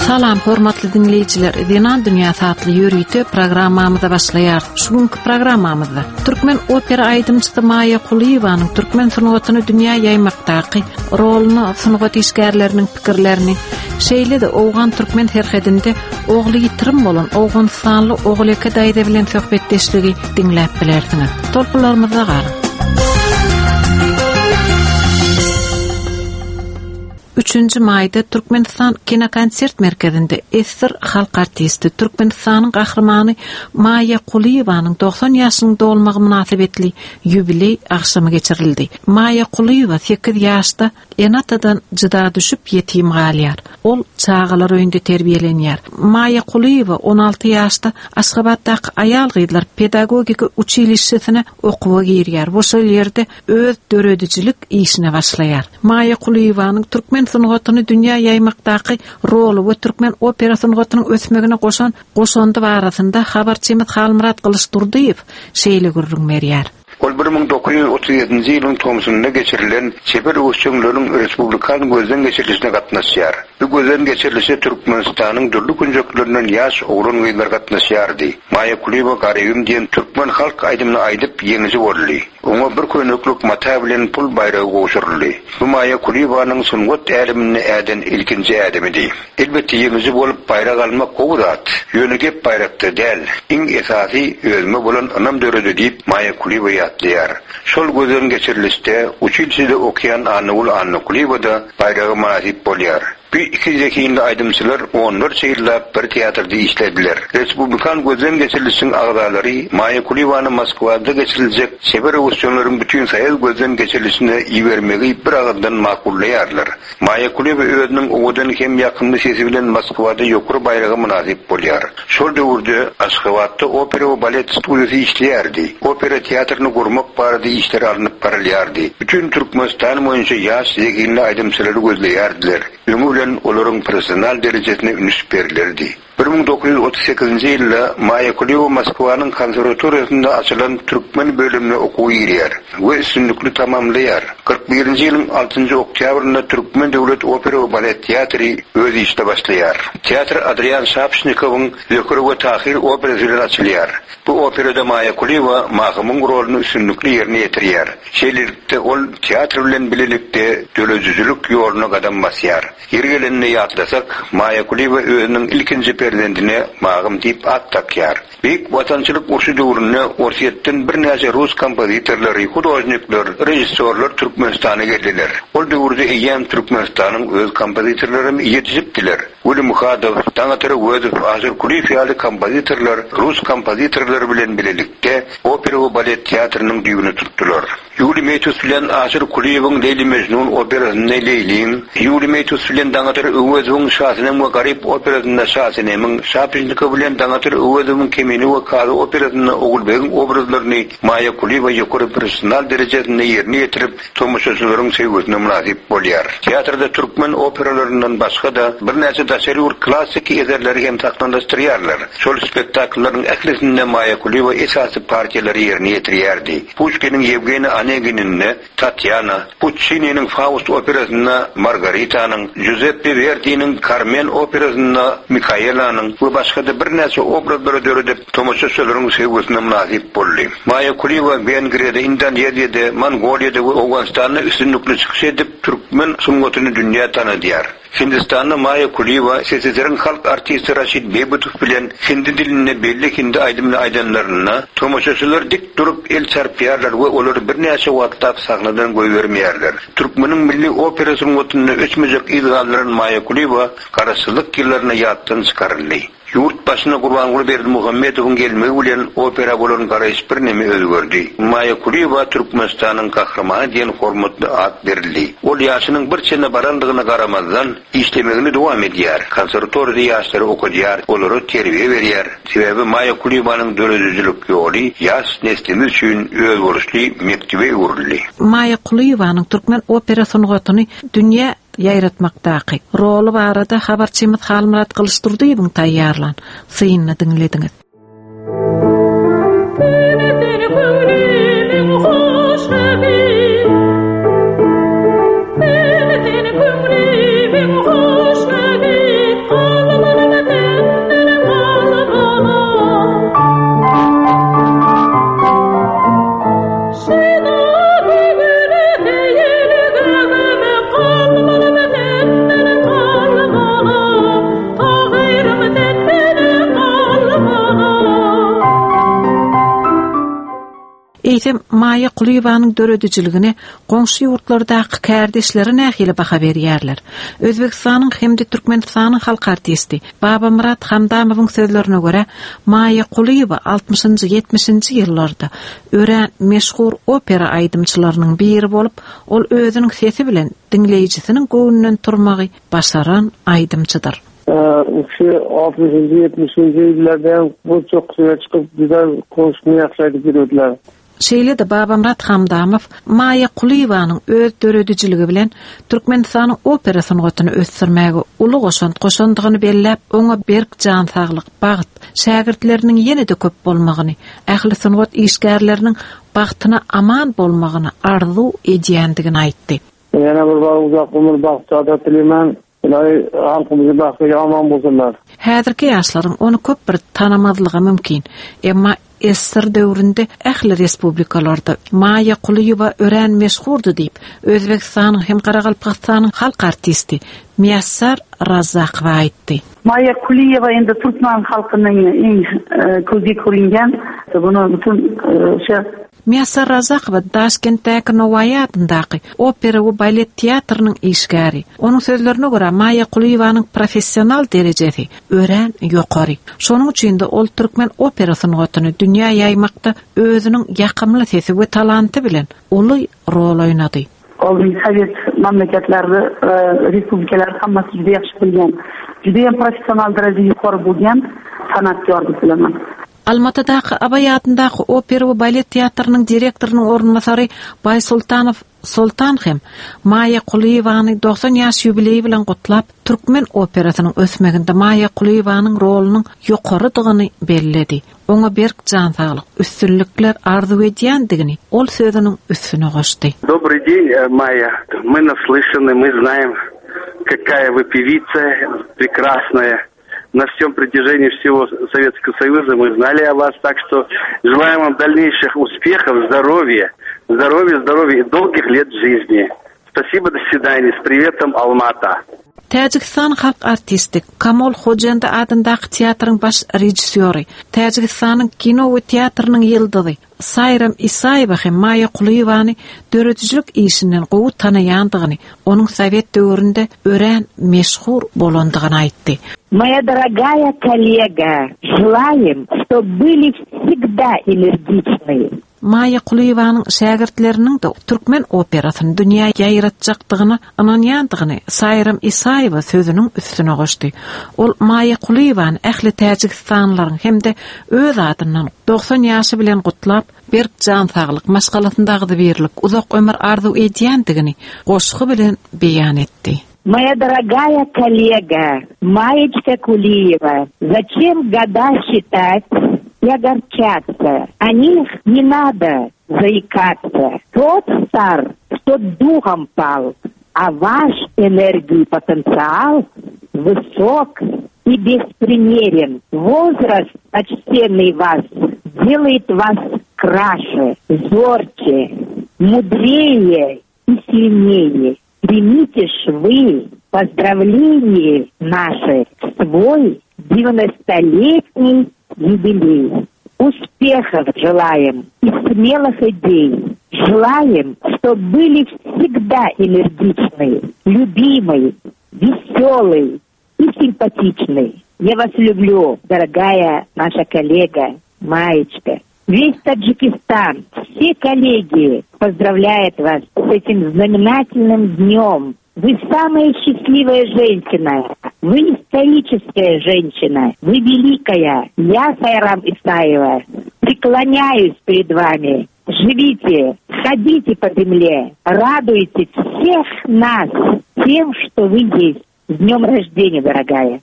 Salam hormatly diňleýjiler, Zenan dünýäsi atly ýörite programmamyza başlaýarys. Şu günki programmamyzda türkmen opera aýdymçysy Maýa Kulyýewanyň türkmen sungatyny dünýä ýaýmakdaky roluny, sungat işgärleriniň pikirlerini, şeýle-de owgan-türkmen serhedinde ogly ýitirim bolan owganystanly Oguleke daýza bilen söhbetdeşligi diňläp bilersiňiz. Tolkunlarymyzda galyň. Üçünji maýda Türkmenistan kinokonsert merkezinde ssr halk artisti, Türkmenistanyň Gahrymany Maýa Kulyýewanyň 90 ýaşynyň dolmagy mynasybetli ýubileý agşamy geçirildi. Maýa Kulyýewa sekiz ýaşda ene-atadan jyda düşüp ýetim galýar. Ol çagalar öýünde terbiýelenýär. Maýa Kulyýewa 16 ýaşda Aşgabatdaky aýal-gyzlar pedagogika uçilişşesine okuwa girýär we şol ýerde öz döredijilik işine başlaýar. Maýa Kulyýewanyň türkmen sungatyny dünýä ýaýmakdaky roly we türkmen opera sungatynyň ösmegine goşan goşandy barasynda habarçymyz Halmyrat Gylyçdurdyýew şeýle gürrüň berýär. Ol 1937-nji ýylyň tomsunda geçirilen çeper öwüşjeňleriň respublikan gözden geçirilişine gatnaşýar. Bu gözden geçirilişe Türkmenistanyň dürli künjeklerinden ýaş oglan-gyzlar gatnaşýardy. Maýa Kulyýewa Garybym diýen türkmen halk aýdymyny aýdyp, ýeňiji boldy. Oňa bir köýneklik mata bilen pul baýragy gowşuryldy. Bu Maýa Kulyýewanyň sungat äleminde äden ilkinji ädimidi. Elbetde, ýeňiji bolup baýrak almak gowy zat. Ýöne gep baýrakda däl. Iň esasy, özüme bolan ynam döredi diýip, Maýa Kulyýewa ýatlaýar. Şol gözden geçirilişde uçilişede okaýan Annagül Annakulyýewa-da baýraga mynasyp bolýar. Bu iki zehinli aýdymçylar onlarça ýyllap bir teatrda işlediler. Respublikan gözden geçirilişiň agzalary Maýa Kulyýewany Moskwada geçiriljek çeper öwüşjeňleriň bütinsoýuz gözden geçirilişine ibermegi bir agyzdan makullaýarlar. Maýa Kulyýewa özüniň owadan hem ýakymly sesi bilen Moskwada ýokary baýraga mynasyp bolýar. Şol döwürde Aşgabatda opera we balet studiýasy işleýärdi. Opera teatryny gurmak barada işler alnyp barylýardy. Bütin Türkmenistan boýunça ýaş zehinli aýdymçylary gözleýärdiler. Öňi bilen olaryň professional derejesine üns berilerdi. 1938-nji ýylda Maýa Kulyýewa Moskwanyň konserwatoriýasynda açylan türkmen bölümine okuwa girýär we üstünlikli tamamlaýar. 41-nji ýylyň altynjy oktýabrynda Türkmen döwlet opera we balet teatry öz işine başlaýar. Teatr Adrian Şapşnikowyň Zöhre we Tahyr operasy bilen açylýar. Bu operada Maýa Kulyýewa Mahymyň roluny üstünlikli ýerine ýetirýär. Şeýlelikde, ol teatr bilen bilelikde döredijilik ýoluna gadam basýar. Ýeri gelende ýatlasak, Maýa Kulyýewa özüniň ilkinji perzendine Magym diýip at dakýar. Beýik Watançylyk urşy döwründe Orsýetden birnäçe rus kompozitorlary, hudožnikler, režissýorlar Türkmenistana geldiler. Ol döwürde eýýäm Türkmenistanyň öz kompozitorlaram ýetişipdiler. Weli Muhadow, Daňatar Öwezow, Aşyr Kulyýew ýaly kompozitorlar rus kompozitorlary bilen bilelikde opera we balet teatrynyň düýbüni tutdular. Ýuliý Meýtus bilen Aşyr Kulyýewiň Leýli-Mejnun operasynda Leýliň, Ýuliý Meýtus bilen Daňatar Öwezowyň Şasenem we Garyp operasynda Şasenemiň, Şapeşnikow bilen Daňatar Öwezowyň Kemine we Kazy operasynda Ogulbegiň obrazlaryny Maýa Kulyýewa ýokary professional derejesinde ýerine ýetirip, tomaşaçylaryň söýgüsine mynasyp bolýar. Teatrda türkmen operalaryndan başga-da, birnäçe daşary ýurt klassyky eserleri hem sahnalaşdyrýarlar. Şol spektakllaryň ählisinde Maýa Kulyýewa esasy partiýalary ýerine ýetirýärdi. Puşkiniň Ýewgeniý Onegininde Tatýana, Puççininiň Faust operasynda Margaritanyň, Juzeppe Werdiniň Karmen operasynda Mikaelanyň we başga-da birnäçe obrazlary döredip, tomaşaçylaryň söýgüsine mynasyp boldy. Maýa Kulyýewa Wengriýada, Indoneziýada, Mongoliýada we Owganystanda üstünlikli çykyş edip, türkmen sungatyny dünýä tanadýar. Hindistanda Maýa Kulyýewa SSR-iň halk artisti Raşid Beýbutow bilen hindi dilinde belli hindi aýdymyny aýdanlarynda, tomaşaçylar dik durup el çarpýarlar we olary birnäçe wagtlap sahnadan goýbermeýärler. Türkmeniň milli opera sungatynda öçmejek yz galdyran Maýa Kulyýewa Garaşsyzlyk ýyllarynda ýatdan çykaryldy. Ýurt başyna Gurbanguly Berdimuhamedowyň gelmegi bilen opera bolan garaýyş birneme özgerdi. Maýa Kulyýewa Türkmenistanyň Gahrymany diýen hormatly at berildi. Ol ýaşynyň bir çene barandygyna garamazdan, işlemegini dowam edýär, konserwatoriýada ýaşlary okadýar, olara terbiýe berýär. Sebäbi Maýa Kulyýewanyň döredijilik ýoly ýaş neslimiz üçin özboluşly mekdebe öwrüldi. Maýa Kulyýewanyň türkmen opera sungatyny dünýä ýaýratmakdaky roly barada habarçymyz Halmyrat Gylyçdurdyýewiň taýýarlan synyny diňlediňiz. Eýsem, Maýa Kulyýewanyň döredijiligine goňşy ýurtlardaky kärdeşleri nähili baha berýärler? Özbegistanyň hem-de Türkmenistanyň halk artisti Babamyrat Hamdamowyň sözlerine görä, Maýa Kulyýewa altmyşynjy, ýetmişinji ýyllarda örän meşhur opera aýdymçylarynyň biri bolup, ol özüniň sesi bilen diňleýjisiniň göwnünden turmagy başaran aýdymçydyr. Şu altmyşynjy, ýetmişinji ýyllarda hem bu çokusyna çykyp, juda goşgyny ýagşy aýdyp ýörediler. Şeýle-de Babamyrat Hamdamow Maýa Kulyýewanyň öz döredijiligi bilen Türkmenistanyň opera sungatyny ösdürmäge uly goşant goşandygyny belläp, oňa berk jan saglyk, bagt, şägirtleriniň ýene-de köp bolmagyny, ähli sungat işgärleriniň bagtyna aman bolmagyny arzuw edýändigini aýtdy. Ýene bir bar uzak ömür bagt saadat dileýmen. Ylahy halkymyzy bagtly aman bolsunlar. Häzirki ýaşlaryň ony köp bir tanamazlygy mümkin. Emma ssr döwründe ähli respublikalarda Maýa Kulyýewa örän meşhurdy diýip, Özbegistanyň hem Garagalpagystanyň halk artisti Miýassar Razzakowa aýtdy. Maýa Kulyýewa endi türkmen halkynyň iň közge körüngen buny bütün o'sha Miýassar Razakowa Daşkentdäki Nowaýy adyndaky opera we balet teatrynyň işgäri. Onuň sözlerine görä, Maýa Kulyýewanyň professional derejesi örän ýokary. Şonuň üçin-de ol türkmen opera sungatyny dünýä ýaýmakda özüniň ýakymly sesi we talanty bilen uly rol oýnady. Ol sowet mamlakatlaryny, respublikalary hammasi juda ýahshi bilgan, judayam professional daraja yuqori bo'lgan san'atkor deb bilaman. Almatydaky Abaý adyndaky opera we balet teatrynyň direktorynyň orunbasary Baýsultanow Soltan hem Maýa Kulyýewany 90 ýaş ýubileýi bilen gutlap, türkmen operasynyň ösmeginde Maýa Kulyýewanyň rolunyň ýokarydygyny belledi. Oňa berk jan saglyk, üstünlikler arzuw edýändigini ol sözüniň üstüne goşdy. Dobryý deň, Maýa. My naslyşany, my znaem, kakaýa vy pewica prekrasnaýa. Na wsem protyženii wsego Sovetskogo Soýuza my znali o was, tak çto želaýem wam dalneýşih uspehow, zdorowýa, zdorowýa, zdorowýa i dolgih let žizni. Spasibo, do swidaniýa, s priwetom, Alma-Ata. Täjigistan halk artisti, Kamol Hojendi adyndaky teatryň baş režissýory, Täjigistanyň kino we teatrynyň ýyldyzy Saýram Isaýewa hem Maýa Kulyýewany döredijilik işinden gowy tanaýandygyny, onuň sowet döwründe örän meşhur bolandygyny aýtdy. Moýa dorogaýa kollega, želaýem, ştob byli wsegda energiçnyý. Maýa Kulyýewanyň şägirtleriniň-de türkmen operasyny dünýä ýaýratjakdygyna ynanýandygyny Saýram Isaýewa sözüniň üstüne goşdy. Ol Maýa Kulyýewany ähli täjigistanlylaryň hem-de öz adyndan 90 ýaşy bilen gutlap, berk jan saglyk, maşgalasynda agzybirlik, uzak ömür arzuw edýändigini goşgy bilen beýan etdi. Moýa dorogaýa kollega, Maýeçka Kuliýewa, zaçem goda şitat i ogorçatsa, o nih ne nado zaikatsa, tot star, kto duhom pal, a waş energii potensial wysok i besprimeren, wozrast poçtennyý was delaet was kraše, zorçe, mudreýe i silneýe. Примите ж вы поздравление наше в свой девяностолетний юбилей. Успехов желаем и смелых идей. Желаем, чтоб были всегда энергичны, любимой, веселой и симпатичной. Я вас люблю, дорогая наша коллега Маечка. Весь Таджикистан, все коллеги поздравляют вас с этим знаменательным днем. Вы самая счастливая женщина. Вы историческая женщина. Вы великая. Я, Сайрам Исаева, преклоняюсь перед вами. Живите, ходите по земле, радуйте всех нас тем, что вы есть. С днем рождения, дорогая!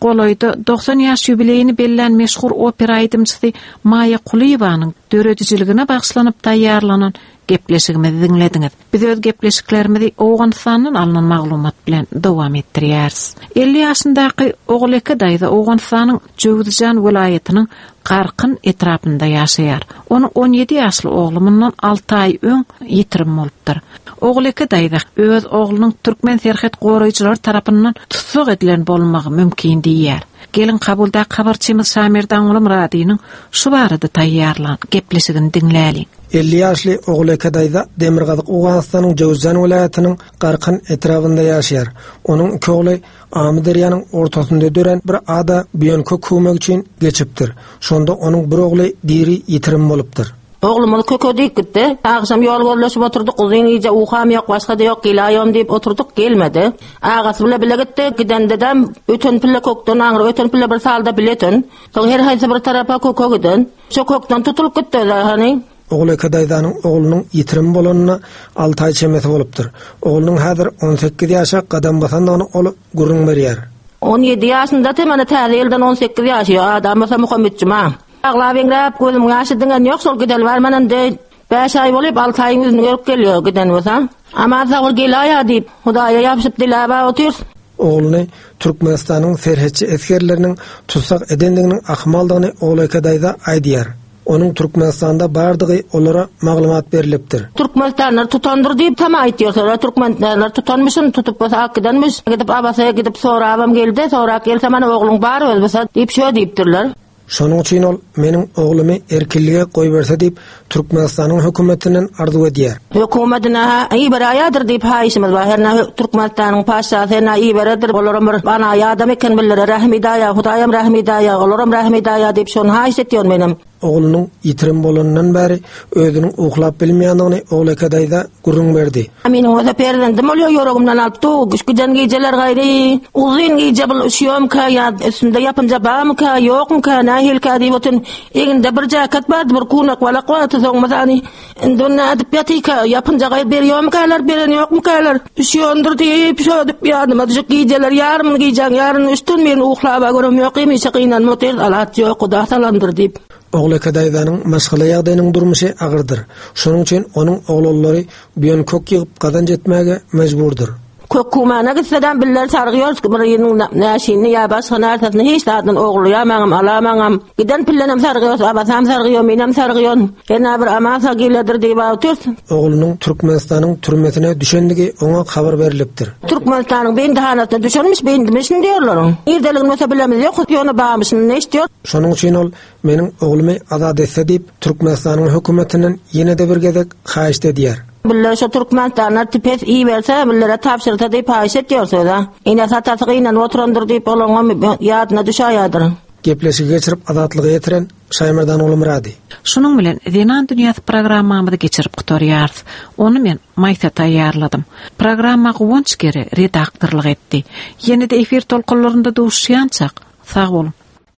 golaýda 90 ýaş ýubileýini bellän meşhur opera aýdymçysy Maýa Kulyýewanyň döredijiligine bagyşlanyp taýýarlanan gepleşigimizi diňlediňiz. Biz öz gepleşiklerimizi Owganystandan alnan maglumat bilen dowam etdirýäris. 50 ýaşyndaky Oguleke daýza Owganystanyň Jöwüzjan welaýatynyň Garkyn etrapynda ýaşaýar. Onuň 17 ýaşly ogly mundan alty aý öň ýitirim bolupdyr. Oguleke daýza öz oglunyň türkmen serhet goraýjylary tarapyndan tussag edilen bolmagy mümkin diýýär. Geliň Kabuldaky habarçymyz Şamerdanguly Myradynyň şu barada taýýarlan gepleşigini diňläliň. 50 ýaşly Oguleke daýza Demirgazyk Owganystanyň Jöwüzjan welaýatynyň Garkyn etrabynda ýaşaýar. Onuň iki ogly Amyderýanyň ortasynda dörän bir ada buýan kök köwmek üçin geçipdir. Şonda onuň bir ogly diri ýitirim bolupdyr. Oglumyz köke diýip gitdi. Agşam ýol gözleşip oturdyk, uzyn gije ukam ýok, başga-da ýok, geläýom diýip oturdyk, gelmedi. Agasy bile bile gitdi. Gidende-de öten pille kökden aňry öten pille bir salda bile öten. Soň her haýsy bir tarapa köke giden. Şo kökden tutulyp gitdi özi hany. Oguleke daýzanyň oglunyň ýitirim bolanyna alty aý çemesi bolupdyr. Oglunyň häzir 18 ýaşa gadam basandygyny ol gürrüň berýär. 17 ýaşyndady, mana täze ýyldan 18 ýaşy, adam bolsa Muhammetjuma. Aglap-eňräp, gözümiň ýaşy diňen ýok, şol gideli bar mana indi bäş aý bolyp, alty aýyň ýüzüni görüp gelýär giden bolsa. Aman sag bol gelaýa diýip, Hudaýa ýapyşyp diläp-ä otyrys. Ogluny Türkmenistanyň serhetçi esgerleriniň tussag edendiginiň ahmaldygyny Oguleke daýza aýdýar. Onuň Türkmenistanda bardygy olara maglumat berlipdir. Türkmenistanlylar tutandyr diýip tama aýtýarlar. Türkmenistanlylar tutanmyşyn, tutup bolsa alyp gidenmiş. Gidip Abasaýa gidip sorabam geldi. Sorap gelse mana ogluň bar özi bolsa diýip şö diýipdirler. Şonuň üçin ol meniň oglumy erkinlige goýberse diýip Türkmenistanyň hökümetinden arzuw edýär. Hökümetine-hä iberäýedir diýip haýyşymyz bar. Hernä Türkmenistanyň patyşasy hernä iberedir. Olaram bir banaýy adam eken billere rähm edäýä, Hudaýam rähm edäýä, olaram rähm edäýä diýip şony haýyş etýän menem. Oglunyň ýitirim bolanyndan bäri özüniň uklap bilmeýändigini Oguleke daýza gürrüň berdi. Meniň bolsa perzendim bolýar, ýüregimden alyp dur. Giden gijeler gaýry uzyn gije bul üşüýärmikä ýa üstünde ýapynja barmyka, ýokmyka, nähilikä diýip otyryn. Egninde bir jaket bardy, bir kunak balak bardy, soň mysany indi ony nädip ýatyka, ýapynja gaýry berýärmikäler, beren ýokmykalar, üşüýändir diýip, şödüp ýadyma düşüp gijeler ýarymyny gijäň ýaryny üçden birini uklaba görem ýok, hemişe gynanyp otyrys, alaç ýok, Huda salandyr diýip. Oguleke daýzanyň maşgala ýagdaýynyň durmuşy agyrdyr. Şonuň üçin onuň oglanlary buýan kök ýygyp gazanç etmäge mejburdyr. Kök kumana gitsedem biller sargyýor biriniň näşini ýa başga närsesini hiç zadyny ogurlaýamaňam alamaňam. Giden pillenem sargyýor abasam sargyýor menem sargyýon. Hernä bir aman sag geledir diýip otyrys. Oglunyň Türkmenistanyň türmesine düşendigi oňa habar berlipdir. Türkmenistanyň bendihanasyna düşenmiş bendimişin diýorlar. Nirdeligini bolsa bilemiz ýok ýöne barmyşyny eşitýor. Şonuň üçin ol Meniň oglumy azat etse diýip, Türkmenistanyň hökümetinden ýene-de bir gezek haýyşt edýär. Biller şo Türkmenistanlar pes iberse, billere tabşyrsa diýip haýyş etýär söz-ä. Enesi atasy gynanyp oturandyr diýip olaňam ýadyna düşäýýädir. Gepleşigi geçirip Azatlyga ýetiren Şaýmerdan Gulumyrady. Şunuň bilen Zenan dünýäsi programmamyzy geçirip gutarýarys. Ony men Maýsa taýýarladym. Programma Guwanç Gere redaktorlyk etdi. Ýene-de efir tolkunlarynda duşuşýançak, sag boluň!